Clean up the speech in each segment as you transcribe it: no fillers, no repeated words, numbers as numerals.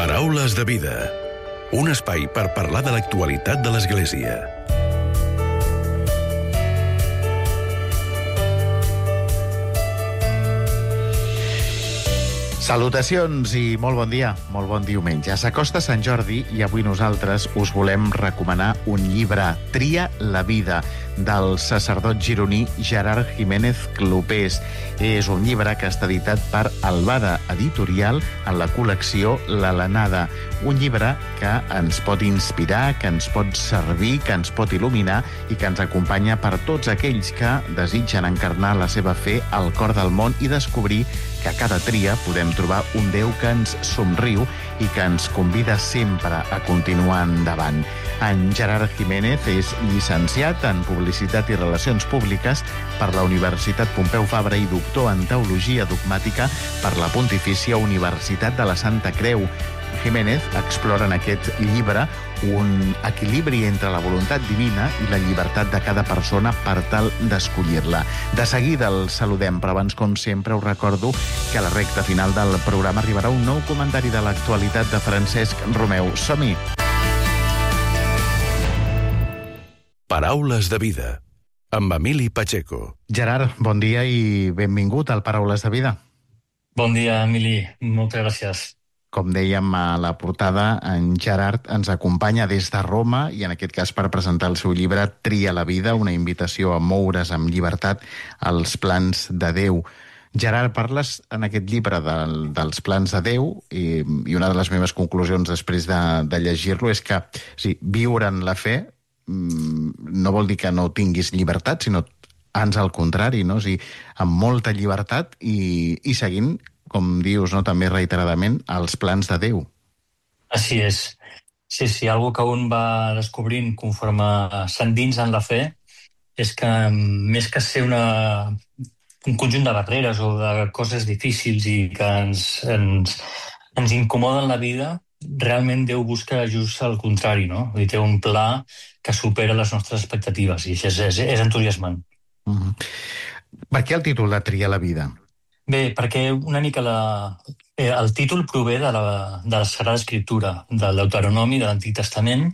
Paraules de vida. Un espai per parlar de l'actualitat de l'Església. Salutacions i molt bon dia, molt bon diumenge. S'acosta Sant Jordi i avui nosaltres us volem recomanar un llibre, Tria la vida, del sacerdot gironí Gerard Jiménez Clopés. És un llibre que està editat per Albada Editorial en la col·lecció L'Alenada. Un llibre que ens pot inspirar, que ens pot servir, que ens pot il·luminar i que ens acompanya per tots aquells que desitgen encarnar la seva fe al cor del món i descobrir que a cada tria podem trobar un Déu que ens somriu i que ens convida sempre a continuar endavant. En Gerard Jiménez és llicenciat en Publicitat i Relacions Públiques per la Universitat Pompeu Fabra i doctor en Teologia Dogmàtica per la Pontifícia Universitat de la Santa Creu. Jiménez explora en aquest llibre un equilibri entre la voluntat divina i la llibertat de cada persona per tal d'escollir-la. De seguida el saludem, però abans, com sempre, us recordo que a la recta final del programa arribarà un nou comentari de l'actualitat de Francesc Romeu. Som-hi! Paraules de vida, amb Emili Pacheco. Gerard, bon dia i benvingut al Paraules de vida. Bon dia, Emili. Moltes gràcies. Com dèiem a la portada, en Gerard ens acompanya des de Roma i en aquest cas per presentar el seu llibre Tria la vida, una invitació a moure's amb llibertat als plans de Déu. Gerard, parles en aquest llibre dels plans de Déu i una de les meves conclusions després de llegir-lo és que viure en la fe no vol dir que no tinguis llibertat, sinó ans al contrari, no? O sigui, amb molta llibertat i seguint, com dius, no, també reiteradament, els plans de Déu. Així és. Sí, algo que un va descobrint conforme s'endins en la fe és que més que ser un conjunt de barreres o de coses difícils i que ens incomoden la vida, realment Déu busca just el contrari, no? Vull dir, té un pla que supera les nostres expectatives i això és entusiasmant. Per què el títol de Tria la vida? Bé, perquè una mica el títol prové de la Sagrada Escriptura, del Deuteronomi, de l'Antic Testament,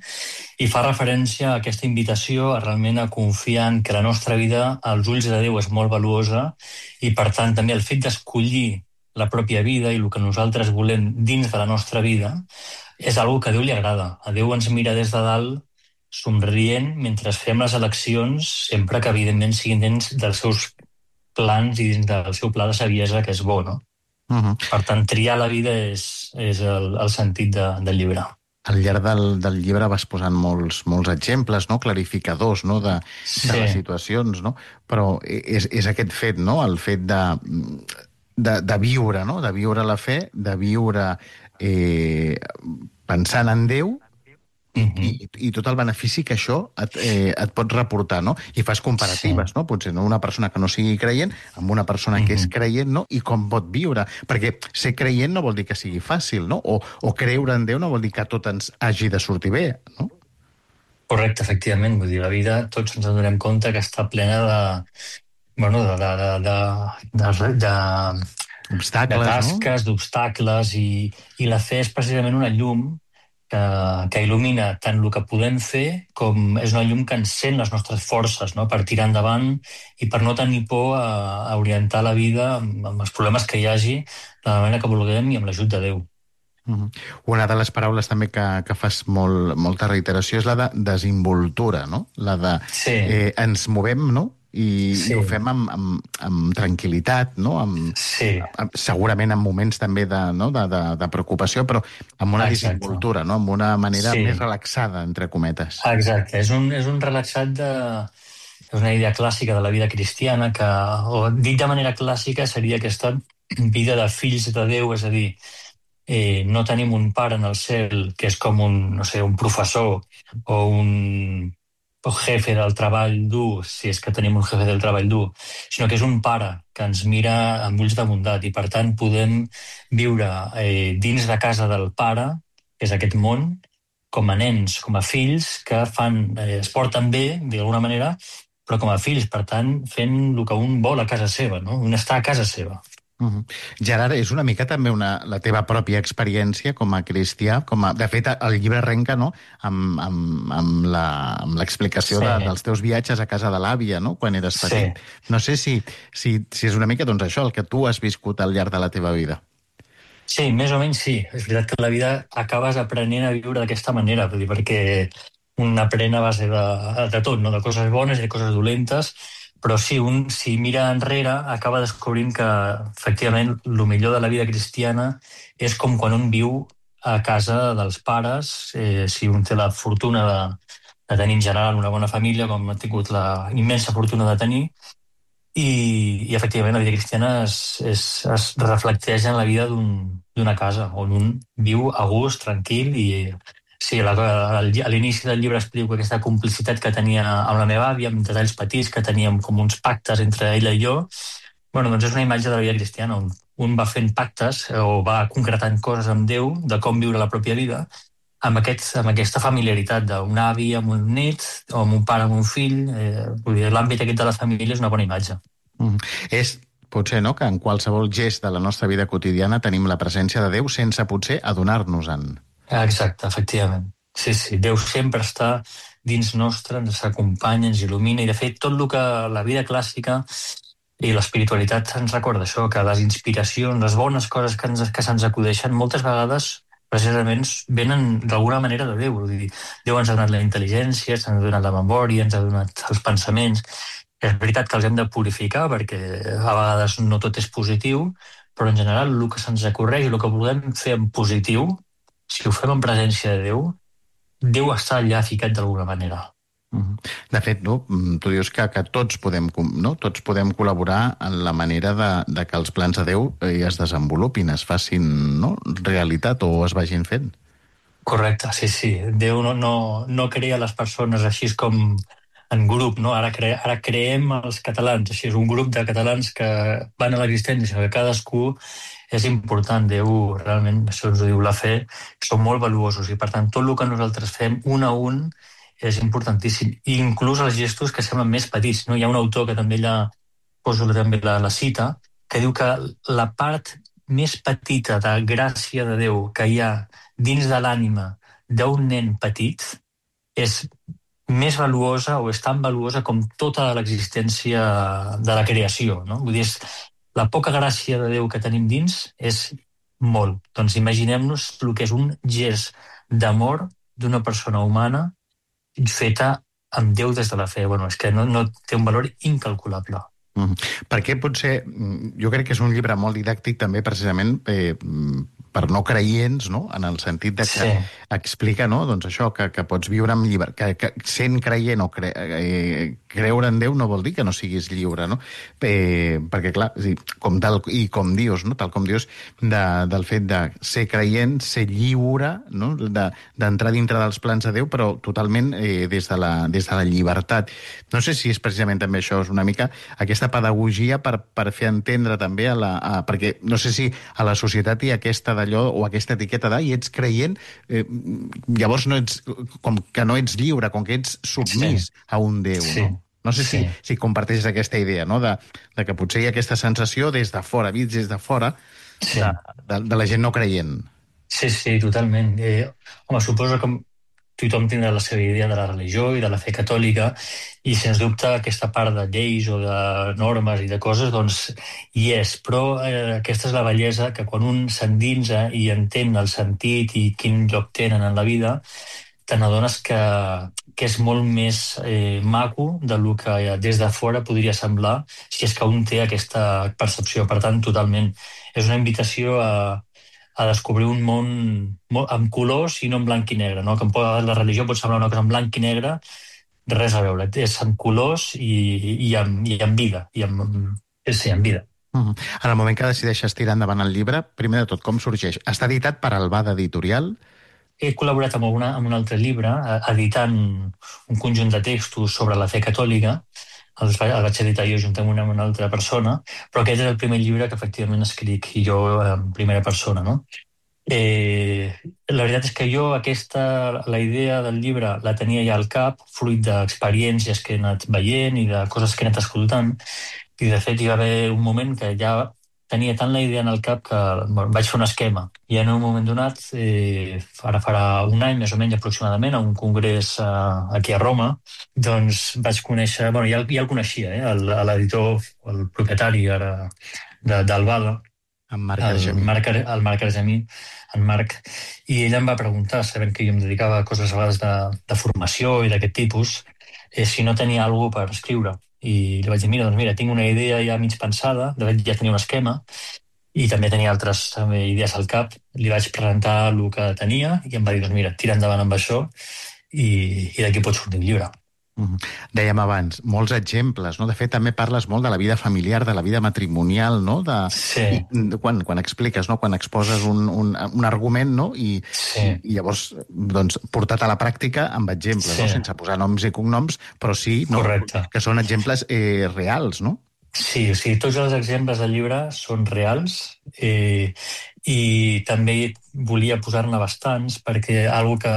i fa referència a aquesta invitació a realment a confiar en que la nostra vida als ulls de Déu és molt valuosa i, per tant, també el fet d'escollir la pròpia vida i el que nosaltres volem dins de la nostra vida és una que a Déu li agrada. A Déu ens mira des de dalt somrient mentre fem les eleccions, sempre que, evidentment, siguin dins dels seus plans i dins del seu pla de saviesa, que és bo, no? Per tant, triar la vida és el sentit del llibre. Al llarg del llibre vas posant molts exemples, no? Clarificadors, no? de les situacions, no? Però és aquest fet, no? El fet de viure, no? De viure la fe, de viure pensant en Déu, i tot el benefici que això et pot reportar, no? I fas comparatives, no? Potser una persona que no sigui creient amb una persona que és creient, no? I com pot viure. Perquè ser creient no vol dir que sigui fàcil, no? O creure en Déu no vol dir que tot ens hagi de sortir bé, no? Correcte, efectivament. Vull dir, la vida tots ens adonem compte que està plena obstacles, tasques, d'obstacles, i la fe és precisament una llum que il·lumina tant el que podem fer com és una llum que encén les nostres forces, no? Per tirar endavant i per no tenir por a orientar la vida amb els problemes que hi hagi de la manera que vulguem i amb l'ajut de Déu. Una de les paraules també que fas molta reiteració és la de desinvoltura, no? La de ens movem, no? I ho fem amb tranquil·litat, no? Segurament en moments també de preocupació, però amb una desinvoltura, no? Amb una manera més relaxada, entre cometes. Exacte, és un relaxat és una idea clàssica de la vida cristiana que, o dit de manera clàssica, seria aquesta vida de fills de Déu, és a dir, no tenim un pare en el cel que és com un professor o un jefe del treball dur, si és que tenim un jefe del treball dur, sinó que és un pare que ens mira amb ulls de bondat i, per tant, podem viure dins de casa del pare, que és aquest món, com a nens, com a fills que es porten bé, d'alguna manera, però com a fills, per tant, fent el que un vol a casa seva, no? Un està a casa seva. Gerard, és una mica també la teva pròpia experiència com a cristià, de fet, el llibre arrenca, no?, amb l'explicació Sí, dels teus viatges a casa de l'àvia, no?, quan eres sí. petit. No sé si és una mica, doncs, això, el que tu has viscut al llarg de la teva vida. Sí, més o menys sí. És veritat que la vida acabes aprenent a viure d'aquesta manera, vull dir, perquè un aprèn a base de tot, no? De coses bones i de coses dolentes, però sí, un si mira enrere acaba descobrint que efectivament el millor de la vida cristiana és com quan un viu a casa dels pares, si un té la fortuna de tenir en general una bona família, com ha tingut la immensa fortuna de tenir, i efectivament la vida cristiana es reflecteix en la vida d'una casa on un viu a gust, tranquil i sí, a l'inici del llibre explico aquesta complicitat que tenia amb la meva àvia, amb detalls petits que teníem com uns pactes entre ella i jo. Bueno, doncs és una imatge de la vida cristiana on un va fent pactes o va concretant coses amb Déu de com viure la pròpia vida amb aquesta familiaritat d'un avi amb un nét o amb un pare amb un fill. Vull dir, l'àmbit aquest de la família és una bona imatge. És potser, no?, que en qualsevol gest de la nostra vida quotidiana tenim la presència de Déu sense potser adonar-nos-en. Exacte, efectivament. Sí, sí, Déu sempre està dins nostre, ens acompanya, ens il·lumina, i de fet tot el que la vida clàssica i l'espiritualitat ens recorda això, que les inspiracions, les bones coses que se'ns acudeixen, moltes vegades precisament venen d'alguna manera de Déu. Vull dir, Déu ens ha donat la intel·ligència, ens ha donat la memòria, ens ha donat els pensaments. És veritat que els hem de purificar perquè a vegades no tot és positiu, però en general el que se'ns acorreix i el que volem fer en positiu, si ho fem en presència de Déu, Déu està allà ficat d'alguna manera. De fet, no, tu dius que tots podem, no? Tots podem col·laborar en la manera de que els plans de Déu es desenvolupin, es facin, no?, realitat o es vagin fent. Correcte, sí, sí. Déu no crea les persones així com en grup, no? Ara creem els catalans, així és un grup de catalans que van a l'existència, que cadascú és important. Déu, realment, això ens ho diu la fe, són molt valuosos i per tant tot el que nosaltres fem un a un és importantíssim, i inclús els gestos que semblen més petits, no? Hi ha un autor que també allà poso també la cita, que diu que la part més petita de gràcia de Déu que hi ha dins de l'ànima d'un nen petit és més valuosa o és tan valuosa com tota l'existència de la creació, no? Vull dir, la poca gràcia de Déu que tenim dins és molt. Doncs imaginem-nos el que és un gest d'amor d'una persona humana feta amb Déu des de la fe. Bueno, és que no té un valor incalculable. Perquè potser, jo crec que és un llibre molt didàctic també precisament per no creients, no?, en el sentit de que explica, no?, doncs això, que pots viure amb llibertat, que sent creient o creure en Déu no vol dir que no siguis lliure, no? Perquè, clar, com dius, no?, tal com dius, del fet de ser creient, ser lliure, no?, d'entrar dintre dels plans de Déu, però totalment des de la llibertat. No sé si és precisament també això, és una mica aquesta pedagogia per fer entendre també perquè no sé si a la societat hi ha aquesta d'allò o aquesta etiqueta i ets creient, llavors com que no ets lliure, com que ets submís a un Déu, no? No sé si comparteixes aquesta idea, no?, de que potser hi ha aquesta sensació des de fora, vist des de fora, de la gent no creient. Sí, sí, totalment. Home, suposo que tothom tindrà la seva idea de la religió i de la fe catòlica, i sens dubte aquesta part de lleis o de normes i de coses, doncs hi és, però aquesta és la bellesa, que quan un s'endinsa i entén el sentit i quin lloc tenen en la vida, te n'adones que és molt més maco del que des de fora podria semblar si és que un té aquesta percepció. Per tant, totalment, és una invitació a descobrir un món amb colors i no en blanc i negre, no? Que la religió pot semblar una cosa en blanc i negre, res a veure, és amb colors i amb vida, amb vida. En el moment que decideixes tirar endavant el llibre, primer de tot, com sorgeix? Està editat per Albada Editorial? He col·laborat amb un altre llibre, editant un conjunt de textos sobre la fe catòlica. El vaig editar jo juntament amb una altra persona, però aquest és el primer llibre que efectivament escric jo en primera persona, no? La veritat és que jo la idea del llibre la tenia ja al cap, fruit d'experiències que he anat veient i de coses que he anat escoltant, i de fet hi va haver un moment que ja tenia tant la idea en el cap que vaig fer un esquema. I en un moment donat, ara farà un any més o menys aproximadament, a un congrés aquí a Roma, doncs vaig conèixer, ja el coneixia, l'editor, el propietari ara d'Albada, En Marc Argemí. el Marc Argemí, en Marc, i ell em va preguntar, sabent que jo em dedicava a coses a vegades de formació i d'aquest tipus, si no tenia alguna per escriure. I li vaig dir, mira, tinc una idea ja mig pensada, de fet ja tenia un esquema, i també tenia altres idees al cap. Li vaig presentar el que tenia i em va dir, mira, tira endavant amb això i d'aquí pot sortir un llibre. Dèiem abans, molts exemples, no? De fet, també parles molt de la vida familiar, de la vida matrimonial, no? Sí. Quan expliques, no? Quan exposes un argument, no? I llavors, doncs, portat a la pràctica amb exemples, no? Sense posar noms i cognoms, però sí, no? Que són exemples reals, no? Sí, tots els exemples del llibre són reals i també volia posar-ne bastants perquè algo que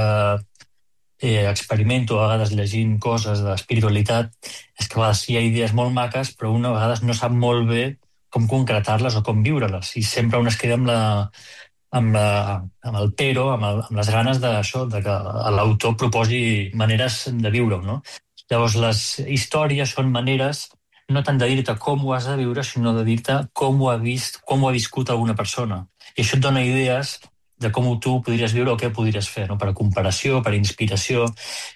experimento a vegades llegint coses d'espiritualitat és que a vegades hi ha idees molt maques però una a vegades no sap molt bé com concretar-les o com viure-les i sempre un es queda amb el pero, amb les ganes d'això, de que l'autor proposi maneres de viure-ho, no? Llavors les històries són maneres no tant de dir-te com ho has de viure, sinó de dir-te com ho ha viscut alguna persona. I això et dona idees de com tu podries viure o què podries fer, no? Per comparació, per inspiració.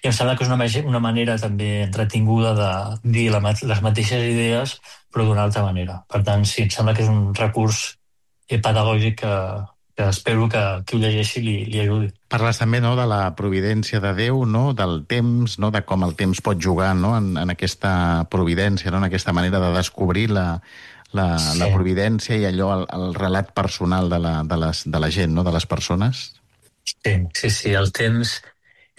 I em sembla que és una manera també entretinguda de dir les mateixes idees, però d'una altra manera. Per tant, sí, em sembla que és un recurs pedagògic que espero que qui ho llegeixi li ajudi. Parles també, no, de la providència de Déu, no? Del temps, no? De com el temps pot jugar, no? En aquesta providència, no? En aquesta manera de descobrir la providència i allò, el relat personal de la gent, no? De les persones. Sí, el temps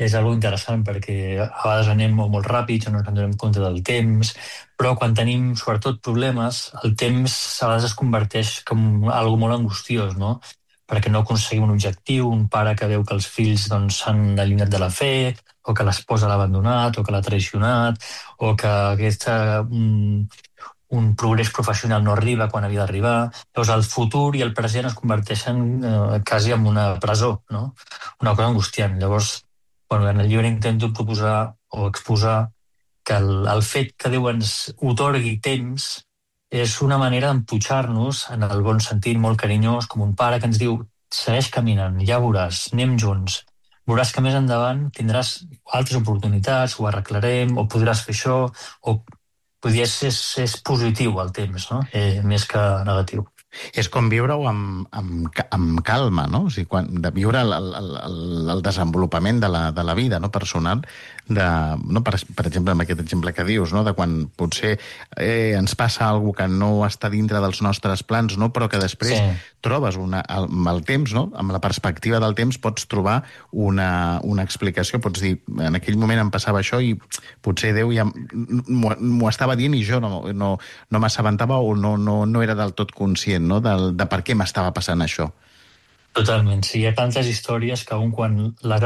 és algo interessant perquè a vegades anem molt ràpids, no ens donem compte del temps, però quan tenim sobretot problemes, el temps a vegades es converteix com algo molt angustiós, no? Perquè no aconseguim un objectiu, un pare que veu que els fills s'han allunyat de la fe, o que l'esposa l'ha abandonat, o que l'ha traicionat, o que un progrés professional no arriba quan havia d'arribar. Llavors el futur i el present es converteixen quasi en una presó, no? Una cosa angustiant. Llavors, en el llibre intento proposar o exposar que el fet que Déu ens otorgui temps és una manera d'emputxar-nos en el bon sentit, molt carinyós, com un pare que ens diu segueix caminant, ja veuràs, anem junts. Veuràs que més endavant tindràs altres oportunitats, ho arreglarem, o podràs fer això, o és positiu el temps, no? Més que negatiu. És com viure-ho amb calma, no? O sigui, de viure el desenvolupament de la vida, no? Personal, no? Per exemple, amb aquest exemple que dius, no? De quan potser ens passa alguna que no està dintre dels nostres plans, no? Però que després trobes amb el temps, no? Amb la perspectiva del temps pots trobar una explicació, pots dir, en aquell moment em passava això i potser Déu ja m'ho estava dient i jo no m'assabentava o no era del tot conscient, no? De per què m'estava passant això. Totalment, sí. Hi ha tantes històries que quan les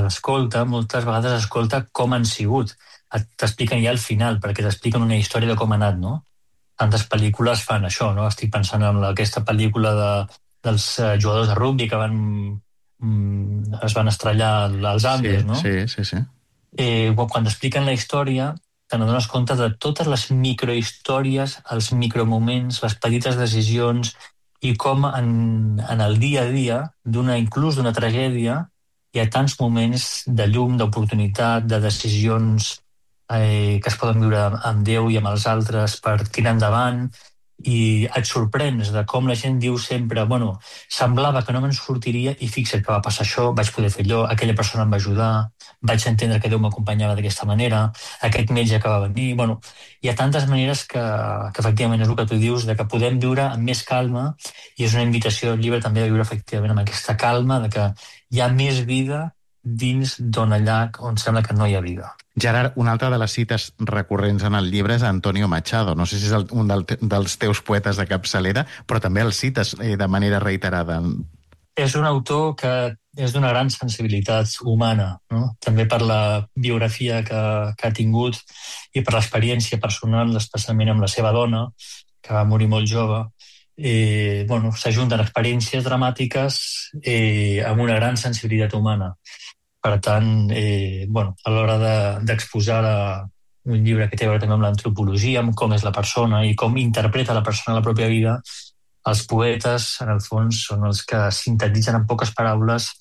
escolta, moltes vegades escolta com han sigut. T'expliquen ja al final, perquè t'expliquen una història de com ha anat, no? Tantes pel·lícules fan això, no? Estic pensant en aquesta pel·lícula dels jugadors de rugby que es van estrellar als Andes, no? Sí. Quan t'expliquen la història, te n'adones compte de totes les microhistòries, els micromoments, les petites decisions i com en el dia a dia, inclús d'una tragèdia, hi ha tants moments de llum, d'oportunitat, de decisions que es poden viure amb Déu i amb els altres per tirar endavant, i et sorprens de com la gent diu sempre semblava que no me'n sortiria i fixa't que va passar això, vaig poder fer allò, aquella persona em va ajudar, vaig entendre que Déu m'acompanyava d'aquesta manera, aquest metge que va venir. Hi ha tantes maneres que efectivament és el que tu dius, de que podem viure amb més calma, i és una invitació al llibre també a viure efectivament amb aquesta calma de que hi ha més vida dins d'on allà on sembla que no hi ha vida. Gerard, una altra de les cites recurrents en el llibre és Antonio Machado. No sé si és un dels teus poetes de capçalera, però també el cites de manera reiterada. És un autor que és d'una gran sensibilitat humana, no? També per la biografia que ha tingut i per l'experiència personal, especialment amb la seva dona, que va morir molt jove, s'ajunten experiències dramàtiques amb una gran sensibilitat humana. Per tant, a l'hora d'exposar un llibre que té a veure també amb l'antropologia, amb com és la persona i com interpreta la persona la pròpia vida, els poetes, en el fons, són els que sintetitzen en poques paraules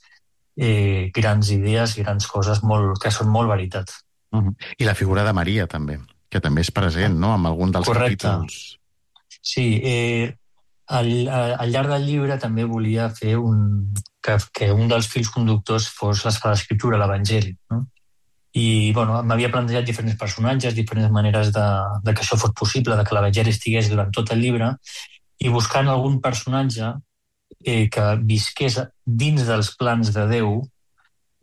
grans idees, grans coses que són molt veritat. I la figura de Maria, també, que també és present, no?, en algun dels capítols. Sí, al llarg del llibre també volia fer que un dels fils conductors fos la Sagrada Escriptura, l'Evangeli, no? I m'havia plantejat diferents personatges, diferents maneres de que això fos possible, de que l'Evangeli estigués durant tot el llibre, i buscant algun personatge que visqués dins dels plans de Déu,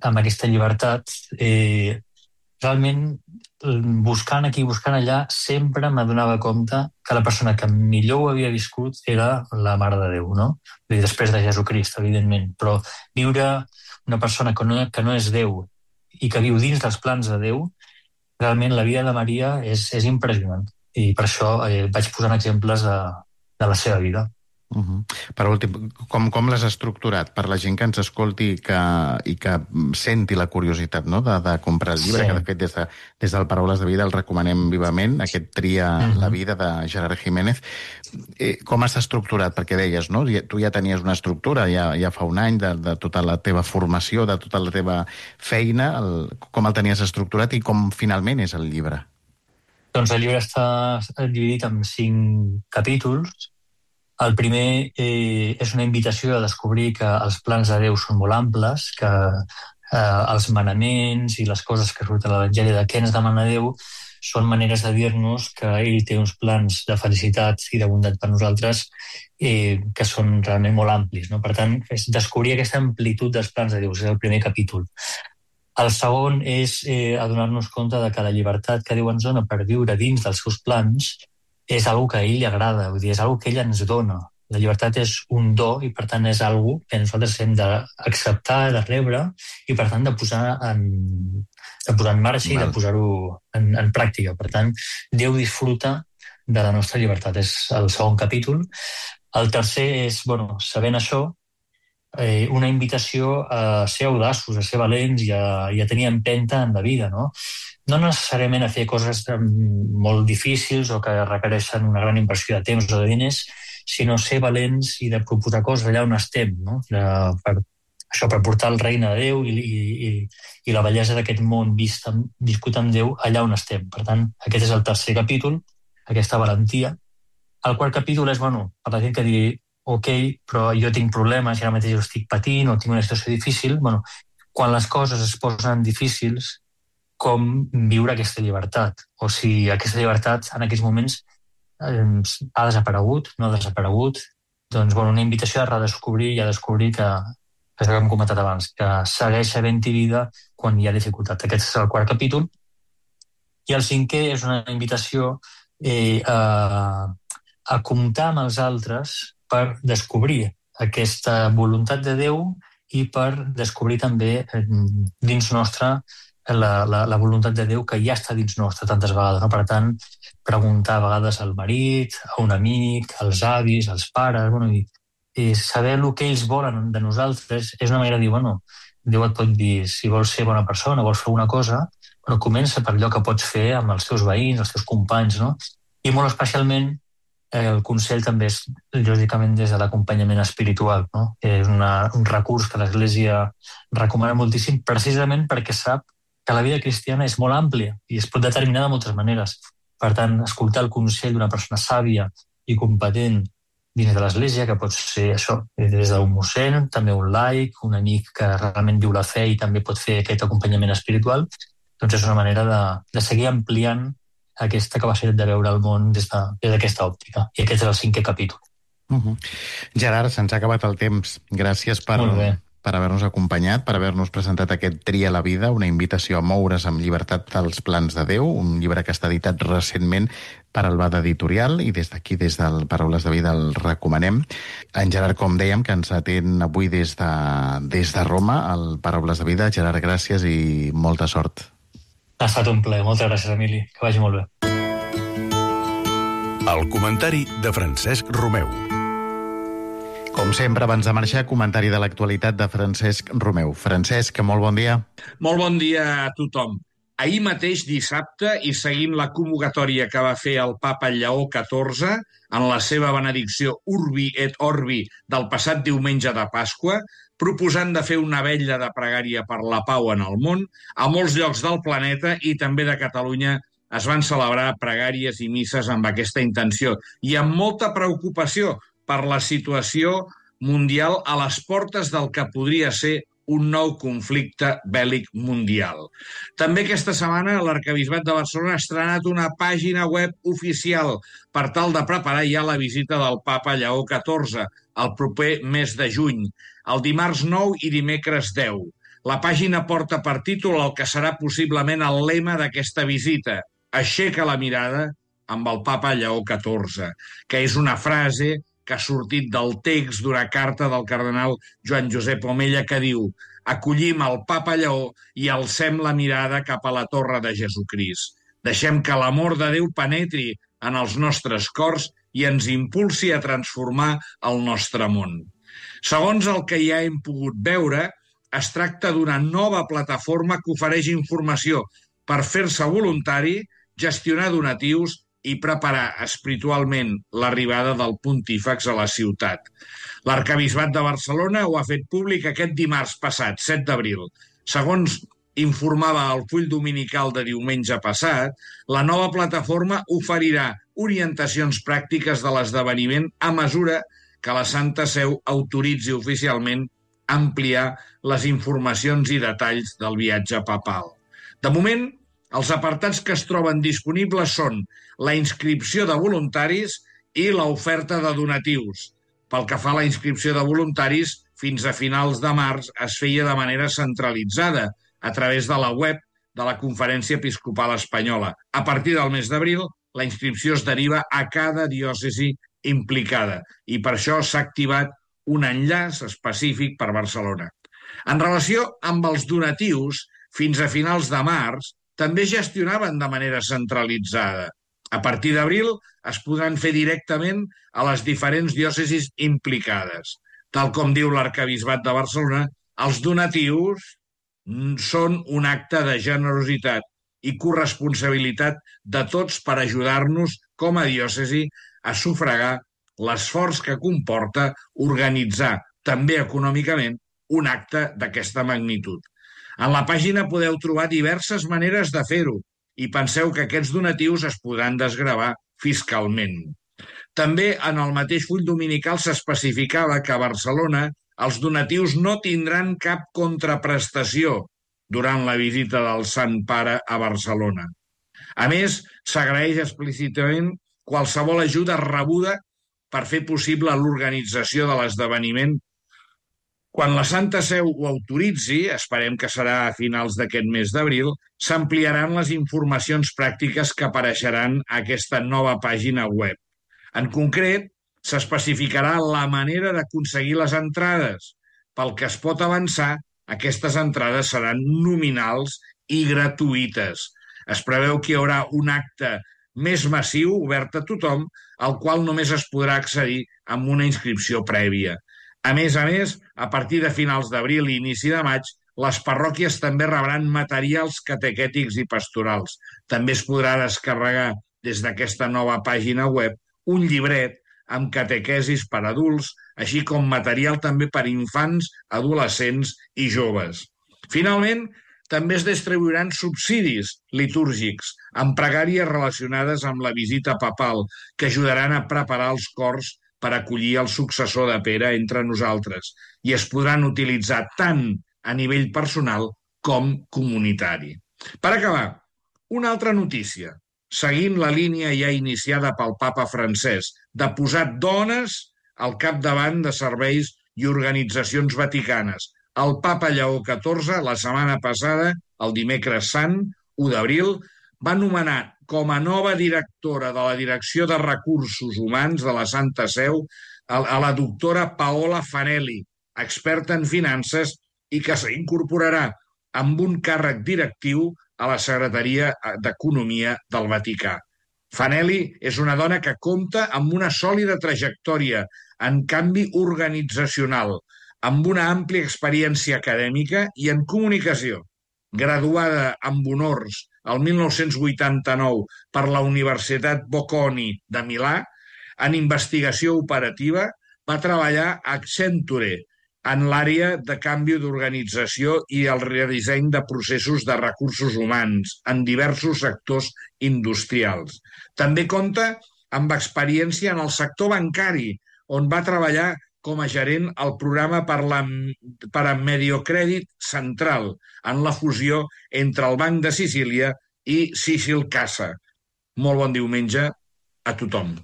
amb aquesta llibertat, realment, buscant aquí, buscant allà, sempre m'adonava compte que la persona que millor ho havia viscut era la Mare de Déu, no? Després de Jesucrist, evidentment, però viure una persona que no és Déu i que viu dins dels plans de Déu, realment la vida de Maria és impressionant. I per això vaig posant exemples de la seva vida. Per últim, com l'has estructurat per la gent que ens escolti i que senti la curiositat, no?, de comprar el llibre, que de fet des del Paraules de Vida el recomanem vivament, aquest Tria la vida de Gerard Jiménez. Com has estructurat? Perquè deies, no?, tu ja tenies una estructura ja fa un any de tota la teva formació, de tota la teva feina, com el tenies estructurat i com finalment és el llibre? Doncs el llibre està dividit en 5 capítols. El primer és una invitació a descobrir que els plans de Déu són molt amples, que els manaments i les coses que surten a l'Evangeli de què ens demana Déu són maneres de dir-nos que ell té uns plans de felicitat i de bondat per nosaltres que són realment molt amplis, no? Per tant, és descobrir aquesta amplitud dels plans de Déu, és el primer capítol. El segon és adonar-nos compte de que la llibertat que Déu ens dona per viure dins dels seus plans és algo que a ell li agrada, vull dir, és algo que ell ens dona. La llibertat és un do i, per tant, és algo que nosaltres hem d'acceptar, de rebre i, per tant, de posar en marxa i de posar-ho en pràctica. Per tant, Déu disfruta de la nostra llibertat. És el segon capítol. El tercer és, sabent això, una invitació a ser audaços, a ser valents i a tenir empenta en la vida, no? No necessàriament a fer coses molt difícils o que requereixen una gran inversió de temps o de diners, sinó ser valents i de proposar coses allà on estem, no? Per portar el regne de Déu i la bellesa d'aquest món viscut amb Déu allà on estem. Per tant, aquest és el tercer capítol, aquesta valentia. El quart capítol és, per la gent que digui ok, però jo tinc problemes i ara mateix ho estic patint o tinc una situació difícil, quan les coses es posen difícils, com viure aquesta llibertat, o si aquesta llibertat en aquests moments ha desaparegut, no ha desaparegut, doncs una invitació a redescobrir i a descobrir que és el que hem comentat abans, que segueix havent-hi vida quan hi ha dificultat. Aquest és el quart capítol. I el cinquè és una invitació a comptar amb els altres per descobrir aquesta voluntat de Déu i per descobrir també dins nostre la voluntat de Déu que ja està dins nostre tantes vegades. No? Per tant, preguntar a vegades al marit, a un amic, als avis, als pares, i saber el que ells volen de nosaltres és una manera de dir, Déu et pot dir, si vols ser bona persona, vols fer una cosa, comença per allò que pots fer amb els teus veïns, els teus companys, no? I molt especialment el consell també és, lògicament, des de l'acompanyament espiritual, no? És un recurs que l'Església recomana moltíssim, precisament perquè sap que la vida cristiana és molt àmplia i es pot determinar de moltes maneres. Per tant, escoltar el consell d'una persona sàvia i competent dins de l'Església, que pot ser això, des d'un mossèn, també un laic, un amic que realment viu la fe i també pot fer aquest acompanyament espiritual, doncs és una manera de seguir ampliant aquesta capacitat de veure el món des d'aquesta òptica. I aquest és el 5è capítol. Gerard, se'ns ha acabat el temps. Gràcies per haver-nos acompanyat, per haver-nos presentat aquest Tria la vida, una invitació a moure's amb llibertat als plans de Déu, un llibre que està editat recentment per Albada Editorial i des d'aquí, des del Paraules de Vida, el recomanem. En Gerard, com dèiem, que ens atén avui des de Roma, al Paraules de Vida. Gerard, gràcies i molta sort. Ha estat un plaer. Moltes gràcies, Emili. Que vagi molt bé. El comentari de Francesc Romeu. Com sempre, abans de marxar, comentari de l'actualitat de Francesc Romeu. Francesc, molt bon dia. Molt bon dia a tothom. Ahir mateix, dissabte, i seguint la convocatòria que va fer el papa Lleó XIV en la seva benedicció Urbi et Orbi del passat diumenge de Pasqua, proposant de fer una vetlla de pregària per la pau en el món, a molts llocs del planeta i també de Catalunya es van celebrar pregàries i misses amb aquesta intenció i amb molta preocupació per la situació mundial a les portes del que podria ser un nou conflicte bèl·lic mundial. També aquesta setmana l'Arquebisbat de Barcelona ha estrenat una pàgina web oficial per tal de preparar ja la visita del papa Lleó XIV el proper mes de juny, el dimarts 9 i dimecres 10. La pàgina porta per títol el que serà possiblement el lema d'aquesta visita: aixeca la mirada amb el papa Lleó XIV, que és una frase que ha sortit del text d'una carta del cardenal Joan Josep Omella que diu: acollim el papa Lleó i alcem la mirada cap a la torre de Jesucrist. Deixem que l'amor de Déu penetri en els nostres cors i ens impulsi a transformar el nostre món. Segons el que ja hem pogut veure, es tracta d'una nova plataforma que ofereix informació per fer-se voluntari, gestionar donatius i preparar espiritualment l'arribada del pontífex a la ciutat. L'Arquebisbat de Barcelona ho ha fet públic aquest dimarts passat, 7 d'abril. Segons informava el full dominical de diumenge passat, la nova plataforma oferirà orientacions pràctiques de l'esdeveniment a mesura que la Santa Seu autoritzi oficialment ampliar les informacions i detalls del viatge papal. De moment, els apartats que es troben disponibles són la inscripció de voluntaris i l'oferta de donatius. Pel que fa a la inscripció de voluntaris, fins a finals de març es feia de manera centralitzada a través de la web de la Conferència Episcopal Espanyola. A partir del mes d'abril, la inscripció es deriva a cada diòcesi implicada i per això s'ha activat un enllaç específic per Barcelona. En relació amb els donatius, fins a finals de març, també es gestionaven de manera centralitzada. A partir d'abril es podran fer directament a les diferents diòcesis implicades. Tal com diu l'Arquebisbat de Barcelona, els donatius són un acte de generositat i corresponsabilitat de tots per ajudar-nos com a diòcesi a sufragar l'esforç que comporta organitzar, també econòmicament, un acte d'aquesta magnitud. En la pàgina podeu trobar diverses maneres de fer-ho i penseu que aquests donatius es podran desgravar fiscalment. També en el mateix full dominical s'especificava que a Barcelona els donatius no tindran cap contraprestació durant la visita del Sant Pare a Barcelona. A més, s'agraeix explícitament qualsevol ajuda rebuda per fer possible l'organització de l'esdeveniment. Quan la Santa Seu ho autoritzi, esperem que serà a finals d'aquest mes d'abril, s'ampliaran les informacions pràctiques que apareixeran a aquesta nova pàgina web. En concret, s'especificarà la manera d'aconseguir les entrades. Pel que es pot avançar, aquestes entrades seran nominals i gratuïtes. Es preveu que hi haurà un acte més massiu, obert a tothom, al qual només es podrà accedir amb una inscripció prèvia. A més, a partir de finals d'abril i inici de maig, les parròquies també rebran materials catequètics i pastorals. També es podrà descarregar des d'aquesta nova pàgina web un llibret amb catequesis per adults, així com material també per infants, adolescents i joves. Finalment, també es distribuiran subsidis litúrgics amb pregàries relacionades amb la visita papal que ajudaran a preparar els cors per acollir el successor de Pere entre nosaltres i es podran utilitzar tant a nivell personal com comunitari. Per acabar, una altra notícia. Seguint la línia ja iniciada pel papa Francesc de posar dones al capdavant de serveis i organitzacions vaticanes. El papa Lleó XIV, la setmana passada, el dimecres sant, 1 d'abril, va nomenar com a nova directora de la Direcció de Recursos Humans de la Santa Seu a la doctora Paola Fanelli, experta en finances i que s'incorporarà amb un càrrec directiu a la Secretaria d'Economia del Vaticà. Fanelli és una dona que compta amb una sòlida trajectòria en canvi organitzacional, amb una àmplia experiència acadèmica i en comunicació. Graduada amb honors el 1989 per la Universitat Bocconi de Milà, en investigació operativa, va treballar a Accenture en l'àrea de canvi d'organització i el redisseny de processos de recursos humans en diversos sectors industrials. També compta amb experiència en el sector bancari, on va treballar com a gerent al programa per a Mediocrèdit Central, en la fusió entre el Banc de Sicília i Sicil Casa. Molt bon diumenge a tothom.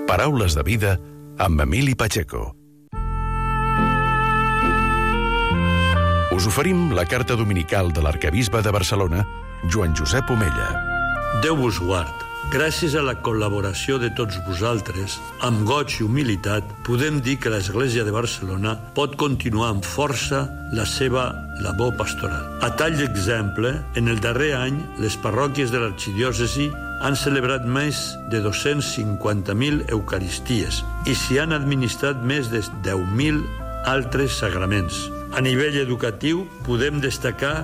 Paraules de vida amb Emili Pacheco. Us oferim la carta dominical de l'arquebisbe de Barcelona, Joan Josep Omella. Déu vos guard. Gràcies a la col·laboració de tots vosaltres, amb goig i humilitat, podem dir que l'Església de Barcelona pot continuar amb força la seva labor pastoral. A tall d'exemple, en el darrer any, les parròquies de l'arxidiòcesi han celebrat més de 250.000 eucaristies i s'hi han administrat més de 10.000 altres sagraments. A nivell educatiu, podem destacar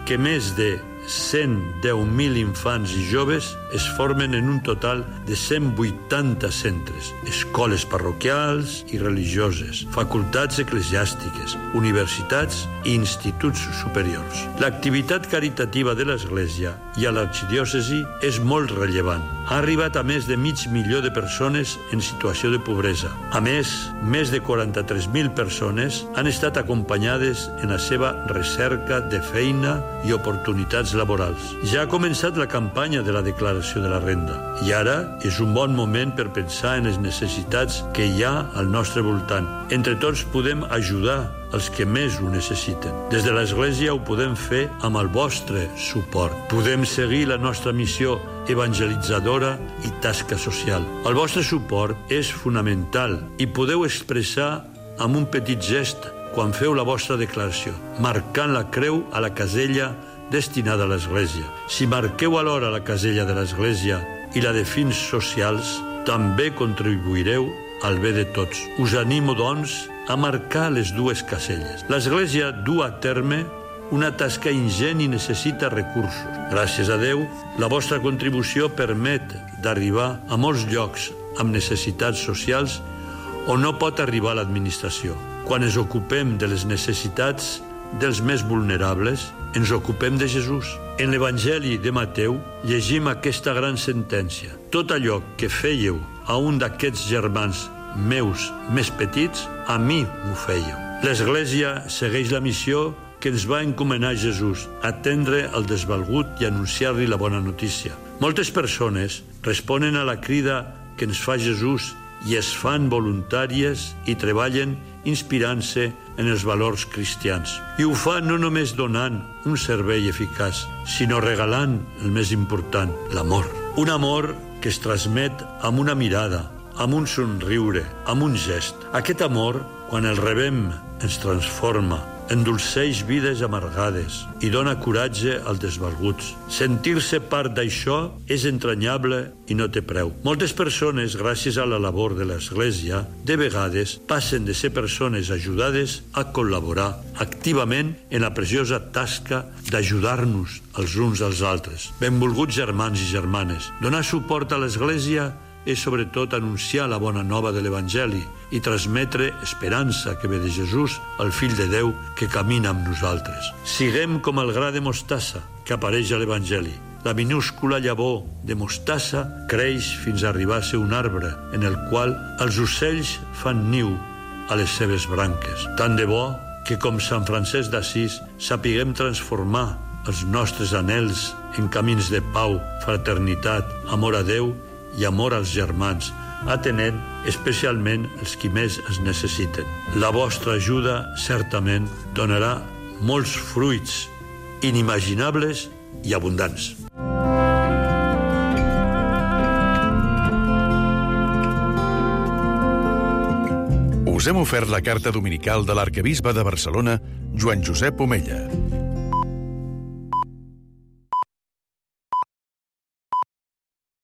que més de 110.000 infants i joves es formen en un total de 180 centres, escoles parroquials i religioses, facultats eclesiàstiques, universitats i instituts superiors. L'activitat caritativa de l'Església i a l'arxidiòcesi és molt rellevant. Ha arribat a més de 500.000 de persones en situació de pobresa. A més de 43.000 persones han estat acompanyades en la seva recerca de feina i oportunitats laborals. Ja ha començat la campanya de la declaració de la renda i ara és un bon moment per pensar en les necessitats que hi ha al nostre voltant. Entre tots podem ajudar els que més ho necessiten. Des de l'Església ho podem fer amb el vostre suport. Podem seguir la nostra missió evangelitzadora i tasca social. El vostre suport és fonamental i podeu expressar amb un petit gest quan feu la vostra declaració, marcant la creu a la casella destinada a l'Església. Si marqueu alhora la casella de l'Església i la de fins socials, també contribuireu al bé de tots. Us animo, doncs, a marcar les dues caselles. L'Església du a terme una tasca ingent i necessita recursos. Gràcies a Déu, la vostra contribució permet d'arribar a molts llocs amb necessitats socials on no pot arribar l'administració. Quan ens ocupem de les necessitats dels més vulnerables, ens ocupem de Jesús. En l'Evangeli de Mateu llegim aquesta gran sentència. Tot allò que fèieu a un d'aquests germans meus més petits, a mi m'ho fèieu. L'Església segueix la missió que ens va encomanar Jesús, atendre el desvalgut i anunciar-li la bona notícia. Moltes persones responen a la crida que ens fa Jesús i es fan voluntàries i treballen inspirant-se en els valors cristians. I ho fan no només donant un servei eficaç, sinó regalant el més important, l'amor. Un amor que es transmet amb una mirada, amb un somriure, amb un gest. Aquest amor, quan el rebem, ens transforma, endolceix vides amargades i dona coratge als desvalguts. Sentir-se part d'això és entranyable i no té preu. Moltes persones, gràcies a la labor de l'Església, de vegades passen de ser persones ajudades a col·laborar activament en la preciosa tasca d'ajudar-nos els uns als altres. Benvolguts germans i germanes, donar suport a l'Església és sobretot anunciar la bona nova de l'Evangeli i transmetre esperança que ve de Jesús, el fill de Déu que camina amb nosaltres. Siguem com el gra de mostassa que apareix a l'Evangeli. La minúscula llavor de mostassa creix fins a arribar a ser un arbre en el qual els ocells fan niu a les seves branques. Tant de bo que, com Sant Francesc d'Assís, sapiguem transformar els nostres anhels en camins de pau, fraternitat, amor a Déu i amor als germans, atenent especialment els qui més es necessiten. La vostra ajuda certament donarà molts fruits inimaginables i abundants. Us hem ofert la carta dominical de l'arquebisbe de Barcelona, Joan Josep Omella.